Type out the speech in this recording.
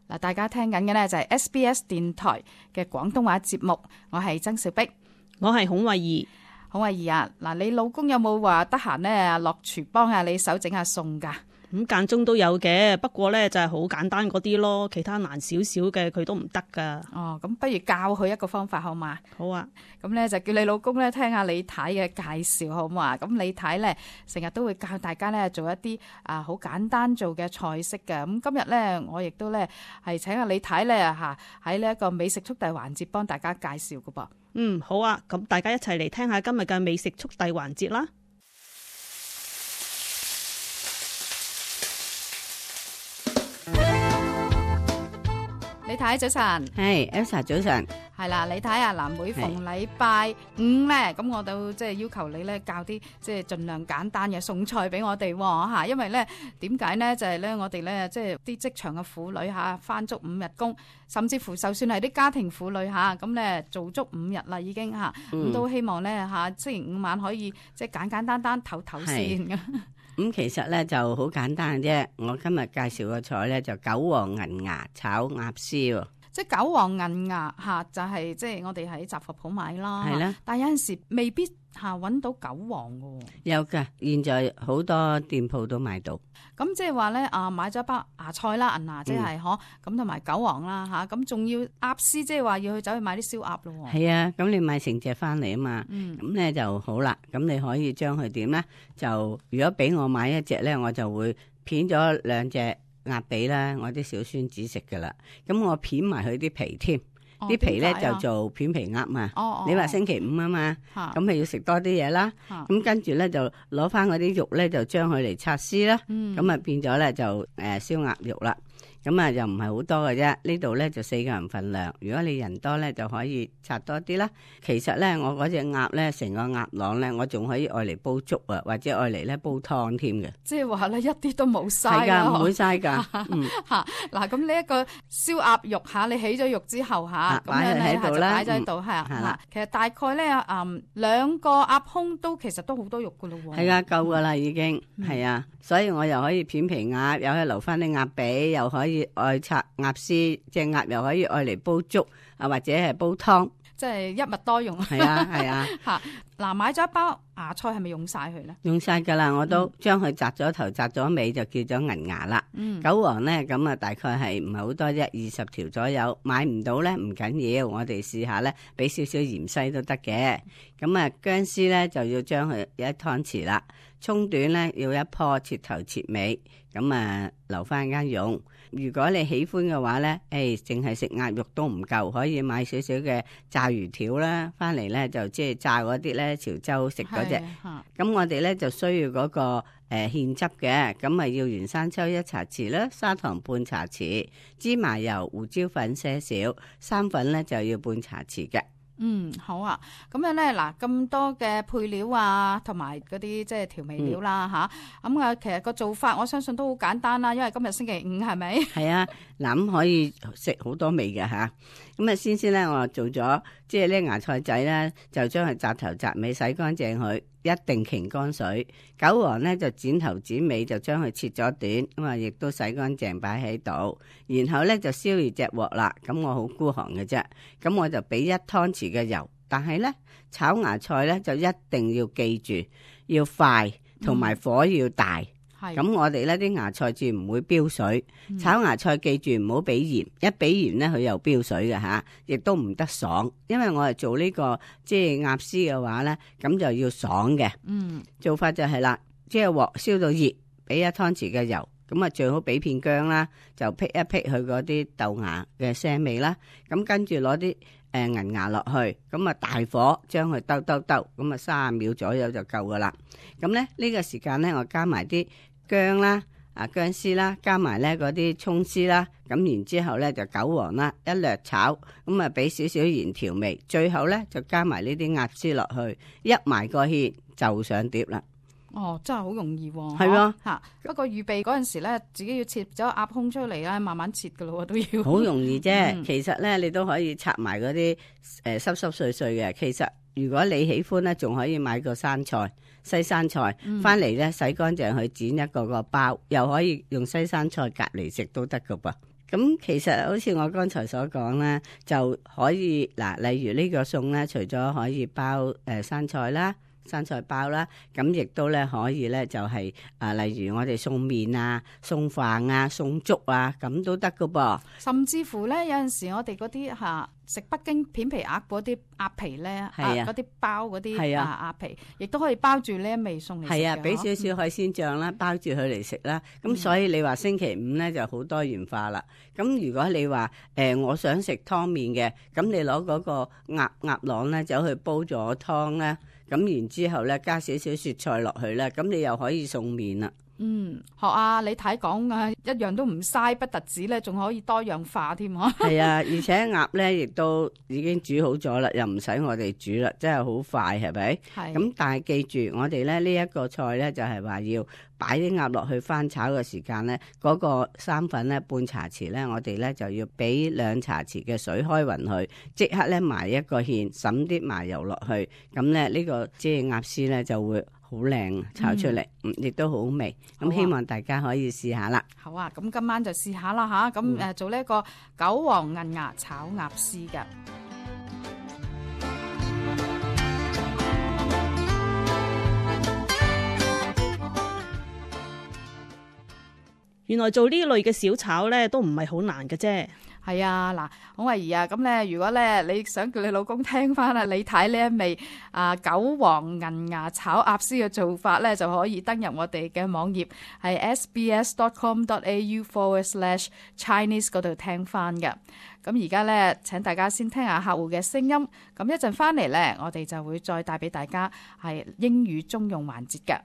嗱，大家聽緊嘅呢就係 SBS 電台嘅廣東話節目，我係曾兆碧，我係孔慧儀。孔慧儀啊，嗱，你老公有冇話得閒呢落廚幫下你手整下餸㗎？咁間中都有嘅，不過咧就係好簡單嗰啲咯，其他難少少嘅佢都唔得噶。哦，咁不如教佢一個方法好嘛？好啊，咁咧就叫你老公咧聽下李太嘅介紹好嘛？咁李太咧成日都會教大家咧做一啲好簡單做嘅菜式嘅。咁今日咧我亦都咧係請阿李太咧喺呢一個美食速遞環節幫大家介紹㗎噃。好啊，咁大家一齊嚟聽下今日嘅美食速遞環節啦。李太早晨，係 Elsa 早晨，係啦，李太啊，嗱，每逢禮拜五咧，咁我都即係要求你咧教啲即係盡量簡單嘅餸菜俾我哋吓，因為咧點解咧就係咧我哋咧即係啲職場嘅婦女吓，翻足5日工，甚至乎就算係啲家庭婦女吓，咁咧做足5日啦已經吓，咁都希望咧吓星期五晚可以即係簡簡單單唞唞先嘅。咁其實咧就好簡單嘅啫。我今日介紹個菜咧就韭黃銀芽炒鴨絲喎。即係韭黃銀芽吓，就係即係我哋喺雜貨鋪買啦。係啦，但係有陣時未必搵到韭黃嘅。有㗎，現在好多店鋪都買到。咁即係話咧買咗一包芽菜啦，銀芽即係咁同埋韭黃啦吓，咁仲要鴨絲，即係話要去走去買啲燒鴨咯。係啊，咁你買成隻翻嚟啊嘛，咁咧就好啦。咁你可以將佢點咧？就如果俾我買一隻咧，我就會片咗2隻鴨髀啦，我啲小孫子食噶啦。咁我片埋佢啲皮添。啲皮咧就做片皮鴨嘛，你話星期五啊嘛，咁咪要食多啲嘢啦。咁跟住咧就攞翻嗰啲肉咧，就將佢嚟拆絲啦。咁啊變咗咧就燒鴨肉啦。咁啊又唔係好多嘅啫，呢度咧就4個人份量。如果你人多咧，就可以拆多啲啦。其實咧，我嗰隻鴨咧，成個鴨囊咧，我仲可以愛嚟煲粥啊，或者愛嚟咧煲湯添嘅。即係話咧，一啲都冇嘥係㗎，唔會嘥㗎。嗱，咁呢一個燒鴨肉你起咗肉之後咁樣喺度啦，擺咗喺度係其實大概咧2個鴨胸都其實都好多肉㗎咯喎。係啊，夠㗎啦已經係啊，所以我又可以片皮鴨，又可以留翻啲鴨髀，又可以愛拆鴨絲，隻鴨又可以愛嚟煲粥啊，或者係煲湯，即係一物多用。係啊係啊。嗱，買咗一包芽菜係咪用晒佢咧？用晒噶啦，我都將佢摘咗頭摘咗尾就叫咗銀芽啦。韭黃咧咁啊，大概係唔係好多啫，20條左右。買唔到咧唔緊要，我哋試下咧，俾少少芫茜都得嘅。咁啊，薑絲咧就要將佢1湯匙啦，葱段咧要1棵，切頭切尾，咁啊留翻間用。如果你喜歡嘅話咧，淨係食鴨肉都唔夠，可以買少少嘅炸魚條啦，翻嚟咧就即係炸嗰啲咧潮州食嗰隻。咁我哋咧就需要嗰個芡汁嘅，咁啊要原生抽1茶匙啦，砂糖半茶匙，芝麻油、胡椒粉些少，生粉咧就要半茶匙嘅。好啊，咁樣咧嗱，咁多嘅配料啊，同埋嗰啲即係調味料啦咁啊，其實個做法我相信都好簡單啦，因為今日星期五係咪？係啊，嗱咁可以食好多味嘅吓。咁啊，先咧我做咗即係呢芽菜仔咧，就將佢摘頭摘尾洗乾淨佢，一定擎乾水。韭黃咧就剪頭剪尾，就將佢切咗短，咁啊亦都洗乾淨擺喺度。然後咧就燒熱隻鑊啦，咁我好孤寒嘅啫，咁我就俾1湯匙嘅油。但係咧炒芽菜咧就一定要記住要快，同埋火要大。咁我哋呢啲芽菜至唔會飆水。炒芽菜記住唔好俾鹽，一俾鹽咧佢又飆水嘅吓，亦都唔得爽。因為我係做呢個即係鴨絲嘅話咧，咁就要爽嘅。做法就係啦，即係鑊燒到熱，俾1湯匙嘅油，咁啊最好俾片薑啦，就辟一辟佢嗰啲豆芽嘅腥味啦。咁跟住攞啲銀芽落去，咁啊大火將佢兜，咁啊30秒左右就夠噶啦。咁咧呢個時間咧，我加埋啲薑啦、薑絲啦，加埋咧嗰啲蔥絲啦，咁然之後咧就韭黃啦，一略炒，咁啊俾少少鹽調味，最後咧就加埋呢啲鴨絲落去，一埋個芡就上碟啦。真係好容易喎。係喎嚇，不過預備嗰陣時咧，自己要切咗鴨胸出嚟咧，慢慢切噶咯，都要。好容易啫，其實咧你都可以拆埋嗰啲濕濕碎碎嘅。其實如果你喜歡咧，仲可以買個生菜、西生菜翻嚟咧，洗乾淨去剪一個包，又可以用西生菜隔嚟食都得噶噃。咁其實好似我剛才所講咧，就可以嗱，例如呢個餸咧，除咗可以包生菜啦、生菜包啦，咁亦都咧可以咧就係例如我哋送麵啊、送飯啊、送粥啊，咁都得噶噃。甚至乎咧有陣時我哋嗰啲食北京片皮鴨嗰啲鴨皮咧，嗰啲包嗰啲鴨皮，亦都可以包住呢一味餸嚟食嘅。係啊，俾少少海鮮醬啦，包住佢嚟食啦。咁所以你話星期五咧就好多元化啦。咁如果你話我想食湯麵嘅，咁你攞嗰個鴨囊咧走去煲咗湯咧，咁然之後咧加少少雪菜落去咧，咁你又可以送麵啦。學阿李太講啊，一樣都唔嘥，不特止咧，仲可以多樣化添啊。係啊，而且鴨咧亦都已經煮好咗啦，又唔使我哋煮啦，真係好快，係咪？係。咁但係記住，我哋咧呢一個菜咧就係話要擺啲鴨落去翻炒嘅時間咧，嗰個生粉咧半茶匙咧，我哋咧就要俾2茶匙嘅水開勻佢，即刻咧埋一個芡，揼啲麻油落去，咁咧呢個即係鴨絲咧就會好靚炒出嚟，亦都好味。咁希望大家可以試下啦。好啊，咁今晚就試下啦吓。咁做呢一個韭黃銀芽炒鴨絲嘅。原來做呢類嘅小炒咧都唔係好難嘅啫。係啊，嗱，孔慧儀啊，咁咧，如果咧你想叫你老公聽翻啊李太呢一味韭黃銀芽炒鴨絲嘅做法咧，就可以登入我哋嘅網頁係 sbs.com.au/Chinese 嗰度聽翻嘅。咁而家咧，請大家先聽下客戶嘅聲音。咁一陣翻嚟咧，我哋就會再帶俾大家係英語中用環節嘅。